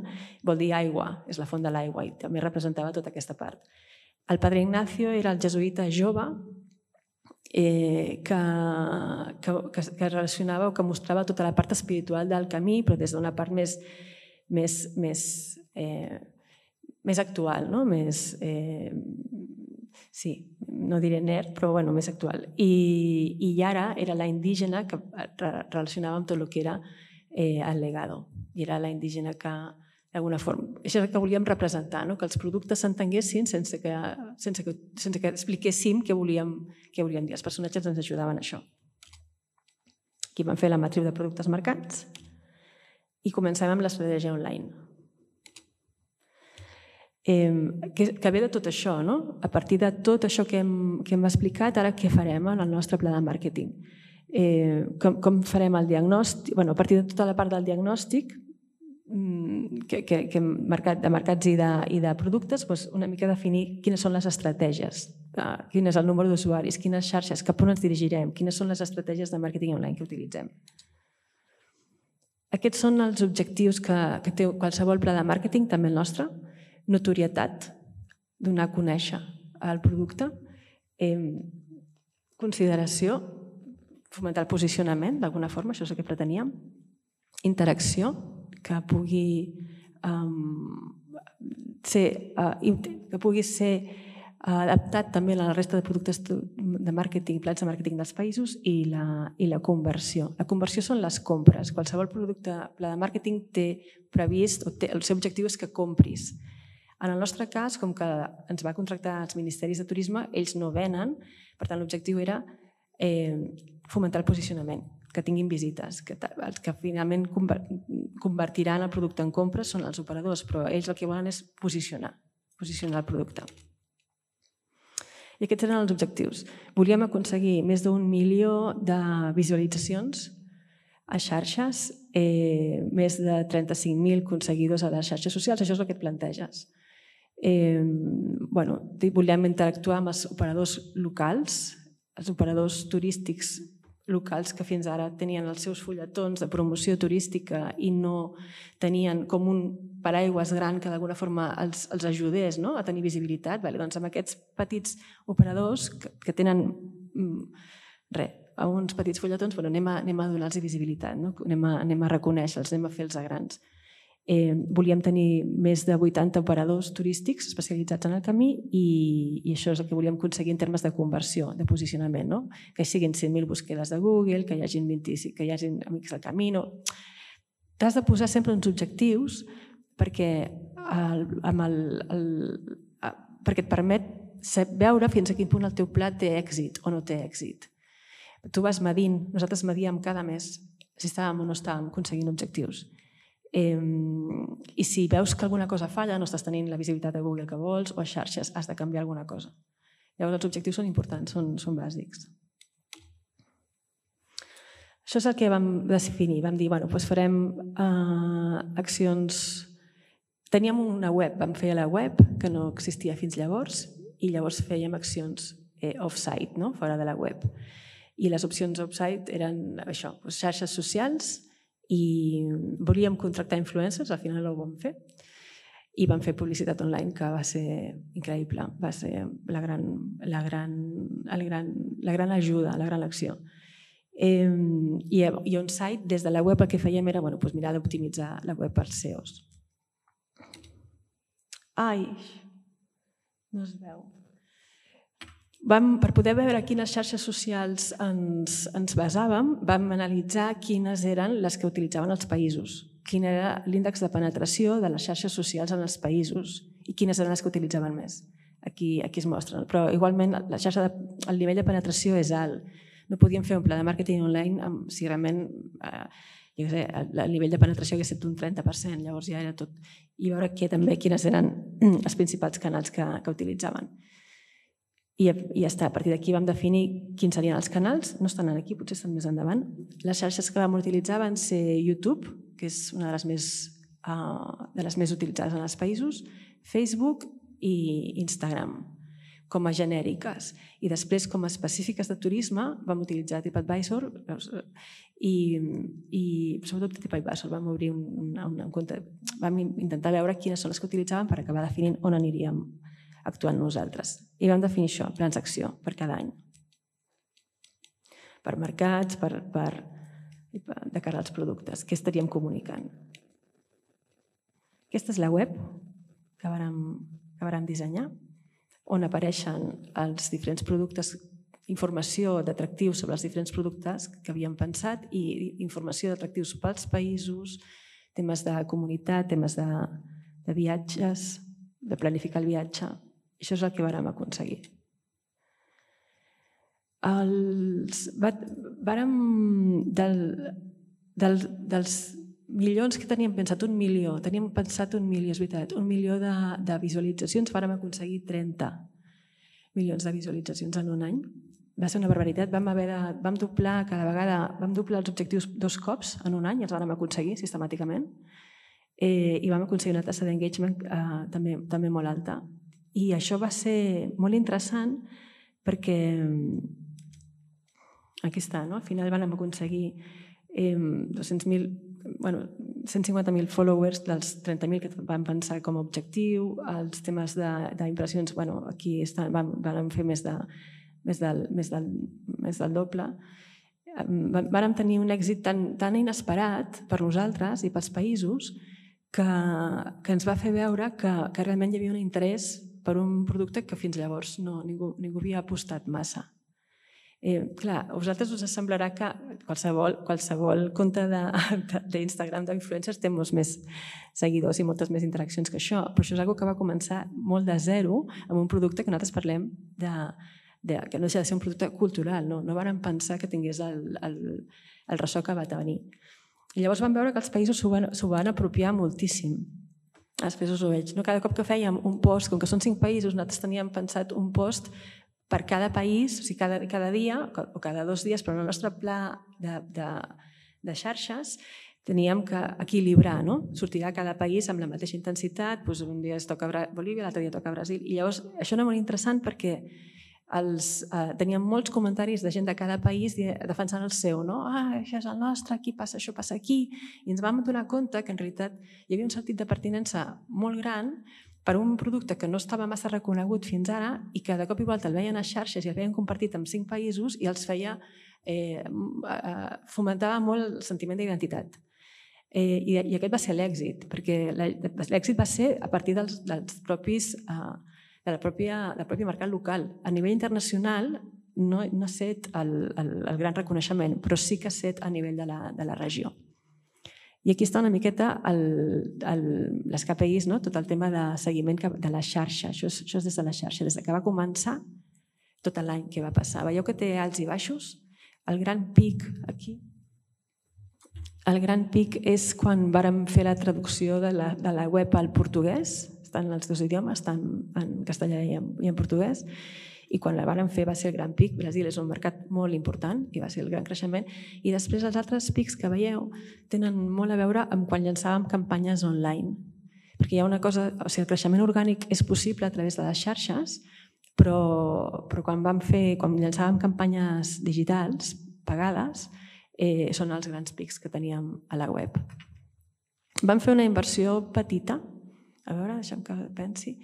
vol dir aigua, és la font de l'aigua, i també representava tota aquesta part. El Padre Ignacio era el jesuïta jove eh, que, que, que, que relacionava o que mostrava tota la part espiritual del camí, però des d'una part més, més, més, eh, més actual, no? Més, eh, sí, no diré nerd, però bueno, més actual. I, i Yara era la indígena que relacionava amb tot el que era eh, el legado. I era la indígena que, d'alguna forma, això és el que volíem representar, no? Que els productes s'entenguessin sense que, sense que, sense que expliquéssim què volíem, què volíem dir. Els personatges ens ajudaven a això. Aquí vam fer la matriu de productes mercats i comencem amb l'estratègia online. Eh, que, que ve de tot això, no? A partir de tot això que hem, que hem explicat, ara què farem en el nostre pla de màrqueting? Eh, com, com farem el diagnòstic? Bueno, a partir de tota la part del diagnòstic, que, que, que mercat, de mercats i de, i de productes, doncs una mica definir quines són les estratègies, quin és el número d'usuaris, quines xarxes, cap on ens dirigirem, quines són les estratègies de màrqueting online que utilitzem. Aquests són els objectius que, que té qualsevol pla de màrqueting, també el nostre. Notorietat, donar a conèixer el producte, eh, consideració, fomentar el posicionament, d'alguna forma, això és el que preteníem, interacció, que pugui um, ser, uh, que pugui ser uh, adaptat també a la resta de productes de màrqueting, plans de màrqueting dels països, i la, i la conversió. La conversió són les compres. Qualsevol producte, pla de màrqueting té previst, o té, el seu objectiu és que compris. En el nostre cas, com que ens va contractar els ministeris de turisme, ells no venen, per tant l'objectiu era eh, fomentar el posicionament, que tinguin visites, que els que finalment convertiran el producte en compres són els operadors, però ells el que volen és posicionar, posicionar el producte. I aquests eren els objectius. Volíem aconseguir més d'un milió de visualitzacions a xarxes, eh, més de trenta-cinc mil seguidors a les xarxes socials, això és el que et planteges. Eh, bueno, volíem interactuar amb els operadors locals, els operadors turístics locals que fins ara tenien els seus fulletons de promoció turística i no tenien com un paraigües gran que d'alguna forma els, els ajudés, no? A tenir visibilitat. Vale, doncs amb aquests petits operadors que, que tenen res, uns petits fulletons, bueno, anem a, anem a donar-los visibilitat, no? anem, a, anem a reconèixer-los, anem a fer-los grans. Eh, volíem tenir més de vuitanta operadors turístics especialitzats en el camí i, i això és el que volíem aconseguir en termes de conversió, de posicionament, no? Que siguin cent mil busquedes de Google, que hi hagi vint-i-cinc, que hi hagi amics del camí. No? T'has de posar sempre uns objectius perquè, el, amb el, el, perquè et permet veure fins a quin punt el teu pla té èxit o no té èxit. Tu vas medint, nosaltres medíem cada mes si estàvem o no estàvem aconseguint objectius. Eh, i si veus que alguna cosa falla, no estàs tenint la visibilitat de Google que vols o a xarxes, has de canviar alguna cosa. Llavors els objectius són importants, són, són bàsics. Això és el que vam definir. Vam dir, bueno, doncs farem eh, accions... Teníem una web, vam fer la web, que no existia fins llavors, i llavors fèiem accions eh, off-site, no? Fora de la web. I les opcions off-site eren això, doncs xarxes socials, i volíem contractar influencers, al final ho vam fer, i vam fer publicitat online, que va ser increïble, va ser la gran, la gran, el gran, la gran ajuda, la gran acció. Eh, i, i on-site, des de la web, el que fèiem era bueno, doncs mirar d'optimitzar la web per S E Os. Ai, no es veu. Vam, per poder veure quines xarxes socials ens, ens basàvem, vam analitzar quines eren les que utilitzaven els països, quin era l'índex de penetració de les xarxes socials en els països i quines eren les que utilitzaven més. Aquí, aquí es mostren. Però igualment la xarxa de, el nivell de penetració és alt. No podíem fer un pla de màrqueting online amb, si realment eh, jo sé, el nivell de penetració hagués estat un trenta per cent, llavors ja era tot. I veure que, també quines eren els principals canals que, que utilitzaven. I ja està, a partir d'aquí vam definir quins serien els canals, no estan aquí, potser estan més endavant. Les xarxes que vam utilitzar van ser YouTube, que és una de les més, uh, de les més utilitzades en els països, Facebook i Instagram. com a genèriques. I després, com a específiques de turisme, vam utilitzar TripAdvisor i, i sobretot TripAdvisor. Vam obrir un, un, un compte, vam intentar veure quines són les que utilitzàvem per acabar definint on aniríem actuant nosaltres. I vam definir això, plans d'acció per cada any. Per mercats, per, per, de cara als productes, què estaríem comunicant. Aquesta és la web que vàrem, que vàrem dissenyar, on apareixen els diferents productes, informació d'atractius sobre els diferents productes que havíem pensat i informació d'atractius pels països, temes de comunitat, temes de, de viatges, de planificar el viatge. Això és el que vàrem aconseguir. Els, vàrem, del, del, dels milions que teníem pensat, un milió, teníem pensat un milió, és veritat, un milió de, de visualitzacions, vàrem aconseguir trenta milions de visualitzacions en un any. Va ser una barbaritat, vam haver de, vam doblar cada vegada, vam doblar els objectius dos cops en un any, els vàrem aconseguir sistemàticament, eh, i vam aconseguir una tassa d'engagement eh, també, també molt alta. I això va ser molt interessant perquè aquí està, no? Al final vam aconseguir eh, dos-cents mil bueno, cent cinquanta mil followers dels trenta mil que vam pensar com a objectiu, els temes d'impressions, bueno, aquí estan, vam, vam fer més, de, més, del, més, del, més del doble. Vàrem tenir un èxit tan, tan inesperat per nosaltres i pels països que, que ens va fer veure que, que realment hi havia un interès per un producte que fins llavors no, ningú, ningú havia apostat massa. Eh, clar, a vosaltres us semblarà que qualsevol, qualsevol compte d'Instagram d'influencers té molts més seguidors i moltes més interaccions que això, però això és una cosa que va començar molt de zero amb un producte que nosaltres parlem de, de, que no deixa de ser un producte cultural, no, no vàrem pensar que tingués el, el, el ressò que va tenir. I llavors vam veure que els països s'ho van, s'ho van apropiar moltíssim. Després us ho veig. No? Cada cop que fèiem un post, com que són cinc països, nosaltres teníem pensat un post per cada país, o sigui, cada, cada dia o cada dos dies, però en el nostre pla de, de, de xarxes teníem que equilibrar, no? Sortirà cada país amb la mateixa intensitat, doncs un dia es toca Bolívia, l'altre dia toca Brasil, i llavors això era molt interessant perquè els, eh, teníem molts comentaris de gent de cada país defensant el seu, no? Ah, això és el nostre, aquí passa això, passa aquí, i ens vam donar compte que en realitat hi havia un sentit de pertinença molt gran per un producte que no estava massa reconegut fins ara i que de cop i volta el veien a xarxes i el veien compartit amb cinc països i els feia, eh, fomentava molt el sentiment d'identitat. Eh, i, I aquest va ser l'èxit, perquè l'èxit va ser a partir dels, dels propis, eh, de la pròpia, del propi mercat local. A nivell internacional no, no ha set el, el, el gran reconeixement, però sí que ha set a nivell de la, de la regió. I aquí està una miqueta el, el, les K P Is, no? Tot el tema de seguiment de la xarxa. Això és, això és des de la xarxa. Des que va començar, tot l'any que va passar. Veieu que té alts i baixos? El gran pic aquí. El gran pic és quan vàrem fer la traducció de la, de la web al portuguès. Estan els dos idiomes, estan en castellà i en, i en portuguès. I quan la vàrem fer va ser el gran pic. Brasil és un mercat molt important i va ser el gran creixement. I després els altres pics que veieu tenen molt a veure amb quan llançàvem campanyes online. Perquè hi ha una cosa, o sigui, el creixement orgànic és possible a través de les xarxes, però, però quan vam fer, quan llançàvem campanyes digitals pagades, eh, són els grans pics que teníem a la web. Vam fer una inversió petita, a veure, deixa'm que pensi,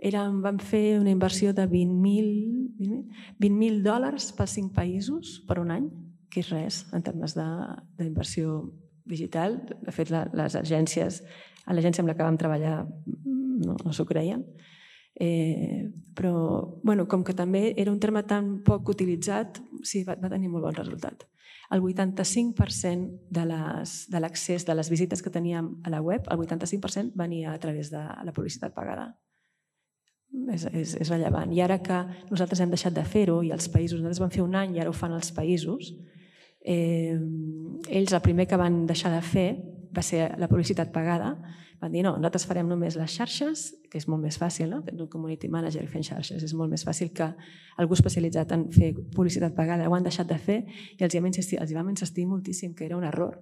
Érem, vam fer una inversió de vint mil dòlars per cinc països per un any, que és res en termes d'inversió digital. De fet, les agències, a l'agència amb la que vam treballar no, no s'ho creien. Eh, però, bueno, com que també era un terme tan poc utilitzat, sí, va, va tenir molt bon resultat. El vuitanta-cinc per cent de l'accés de les visites que teníem a la web, el vuitanta-cinc per cent venia a través de la publicitat pagada. És, és, és rellevant. I ara que nosaltres hem deixat de fer-ho i els països, nosaltres vam fer un any i ara ho fan els països, eh, ells el primer que van deixar de fer va ser la publicitat pagada. Van dir, no, nosaltres farem només les xarxes, que és molt més fàcil, no? Tens un community manager fent xarxes, és molt més fàcil que algú especialitzat en fer publicitat pagada ho han deixat de fer i els hi vam insistir, els hi vam insistir moltíssim que era un error.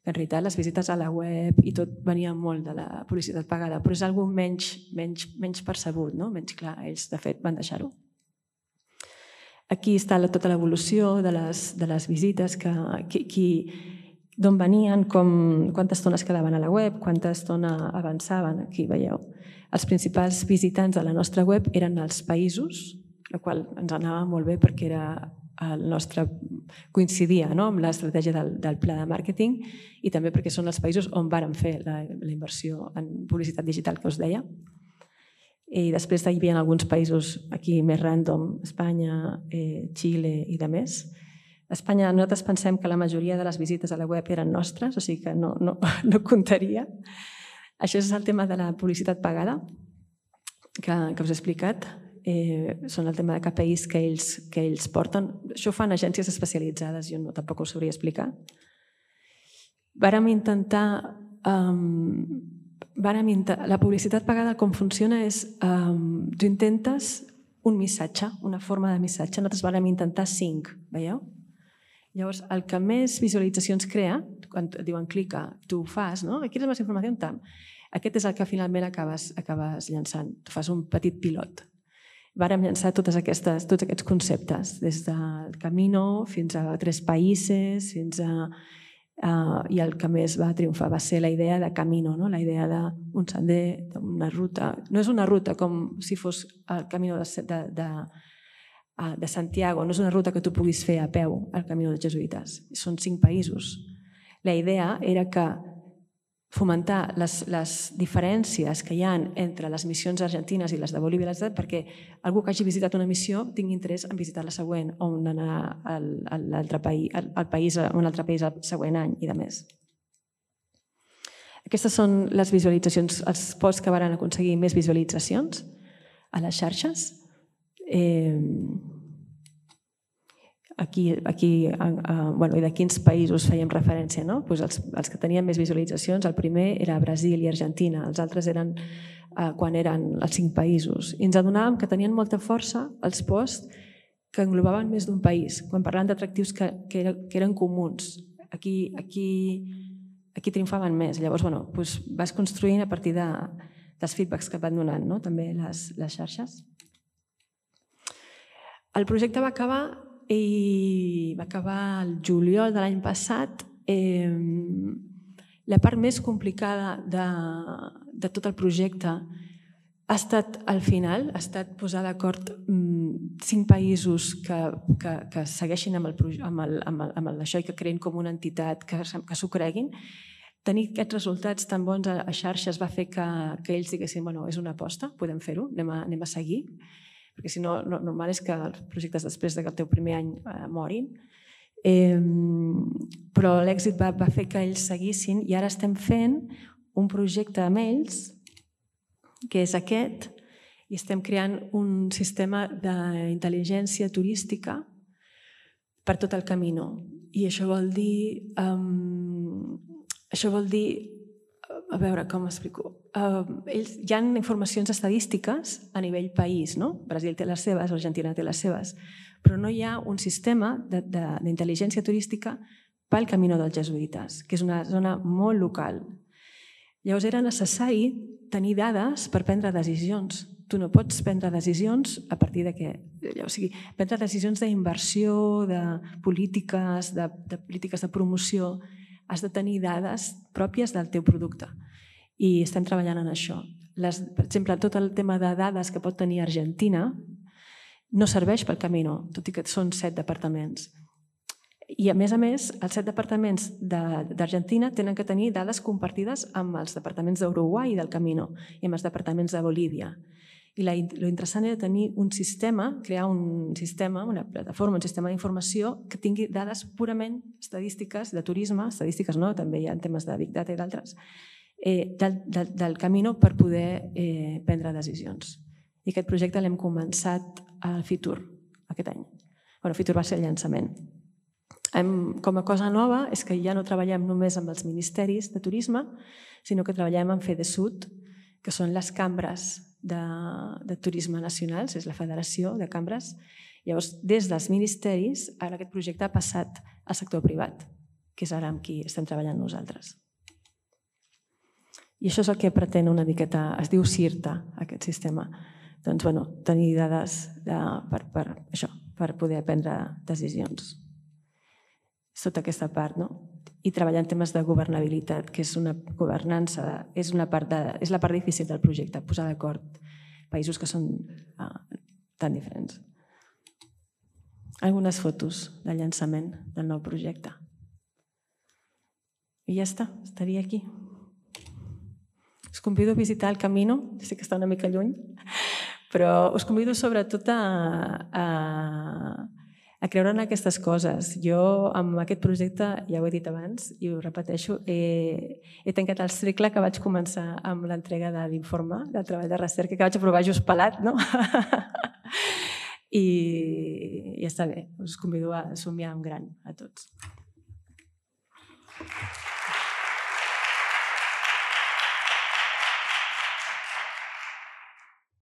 En realitat, les visites a la web i tot venia molt de la publicitat pagada, però és algo menys, menys, menys percebut, no? Menys clar. Ells, de fet, van deixar-ho. Aquí està tota l'evolució de les visites, d'on venien, quanta estona es quedaven a la web, quanta estona avançaven. Aquí veieu. Els principals visitants de la nostra web eren els països, la qual ens anava molt bé perquè el nostre coincidia amb l'estratègia del pla de màrqueting i també perquè són els països on vàrem fer la inversió en publicitat digital que us deia. I després hi havia alguns països aquí més random, Espanya, Xile i de més. A Espanya nosaltres pensem que la majoria de les visites a la web eren nostres, o sigui que no comptaria. Això és el tema de la publicitat pagada que us he explicat. Són el tema de K P Is que ells porten. Això ho fan agències especialitzades, jo tampoc ho sabria explicar. Vàrem intentar... La publicitat pagada com funciona és tu intentes un missatge, una forma de missatge. Nosaltres vàrem intentar cinc, veieu? Llavors, el que més visualitzacions crea, quan et diuen clica, tu ho fas, no? ¿Quieres más información? Aquest és el que finalment acabes llançant. Tu fas un petit pilot. Vàrem llançar tots aquests conceptes, des del Camino fins a tres països, fins a... i el que més va triomfar va ser la idea de Camino, la idea d'un sender, d'una ruta. No és una ruta com si fos el Camino de Santiago, no és una ruta que tu puguis fer a peu al Camino dels Jesuïtes. Són cinc països. La idea era que fomentar les diferències que hi ha entre les missions argentines i les de Bolívia perquè algú que hagi visitat una missió tingui interès en visitar la següent o en anar al país el següent any i de més. Aquestes són les visualitzacions, els posts que van aconseguir més visualitzacions a les xarxes. Aquí, i de quins països fèiem referència, no? Els que tenien més visualitzacions, el primer era Brasil i Argentina, els altres eren quan eren els cinc països. I ens adonàvem que tenien molta força els posts que englobaven més d'un país, quan parlàvem d'atractius que eren comuns. Aquí triomfaven més. Llavors, vas construint a partir dels feedbacks que et van donant, també les xarxes. El projecte va acabar i va acabar el juliol de l'any passat. La part més complicada de tot el projecte ha estat al final, ha estat posar d'acord cinc països que segueixin amb això i que creïn com una entitat, que s'ho creguin. Tenir aquests resultats tan bons a xarxes va fer que ells diguessin és una aposta, podem fer-ho, anem a seguir. Perquè si no, normal és que els projectes després del teu primer any morin. Però l'èxit va fer que ells seguissin i ara estem fent un projecte amb ells, que és aquest, i estem creant un sistema d'intel·ligència turística per tot el Camino. I això vol dir... Això vol dir... A veure, com explico? Hi ha informacions estadístiques a nivell país, no? Brasil té les seves, Argentina té les seves, però no hi ha un sistema d'intel·ligència turística pel Camino dels Jesuïtes, que és una zona molt local. Llavors era necessari tenir dades per prendre decisions. Tu no pots prendre decisions a partir de què? O sigui, prendre decisions d'inversió, de polítiques, de polítiques de promoció, has de tenir dades pròpies del teu producte i estem treballant en això. Per exemple, tot el tema de dades que pot tenir Argentina no serveix pel Camino, tot i que són set departaments. I a més a més, els set departaments d'Argentina tenen que tenir dades compartides amb els departaments d'Uruguai i del Camino i amb els departaments de Bolívia. I l'interessant era tenir un sistema, crear un sistema, una plataforma, un sistema d'informació que tingui dades purament estadístiques de turisme, estadístiques no, també hi ha temes de Big Data i d'altres, del Camino per poder prendre decisions. I aquest projecte l'hem començat al Fitur aquest any. El Fitur va ser el llançament. Com a cosa nova és que ja no treballem només amb els ministeris de turisme, sinó que treballem amb FEDESUT, que són les cambres de turisme nacionals, és la federació de cambres. Llavors, des dels ministeris, ara aquest projecte ha passat al sector privat, que és ara amb qui estem treballant nosaltres. I això és el que pretén una miqueta, es diu CIRTA, aquest sistema. Doncs, bueno, tenir dades per això. per poder prendre decisions. És tota aquesta part, no? I treballar en temes de governabilitat, que és una governança, és, una part de, és la part difícil del projecte, posar d'acord països que són uh, tan diferents. Algunes fotos de llançament del nou projecte. I ja està, estaria aquí. Us convido a visitar el Camino, sé que està una mica lluny, però us convido sobretot a, a, a creure en aquestes coses. Jo, amb aquest projecte, ja ho he dit abans i ho repeteixo, he, he tancat el cicle que vaig començar amb l'entrega de l'informe del treball de recerca que vaig aprovar just pelat, no? I ja està bé, us convido a somiar en gran a tots.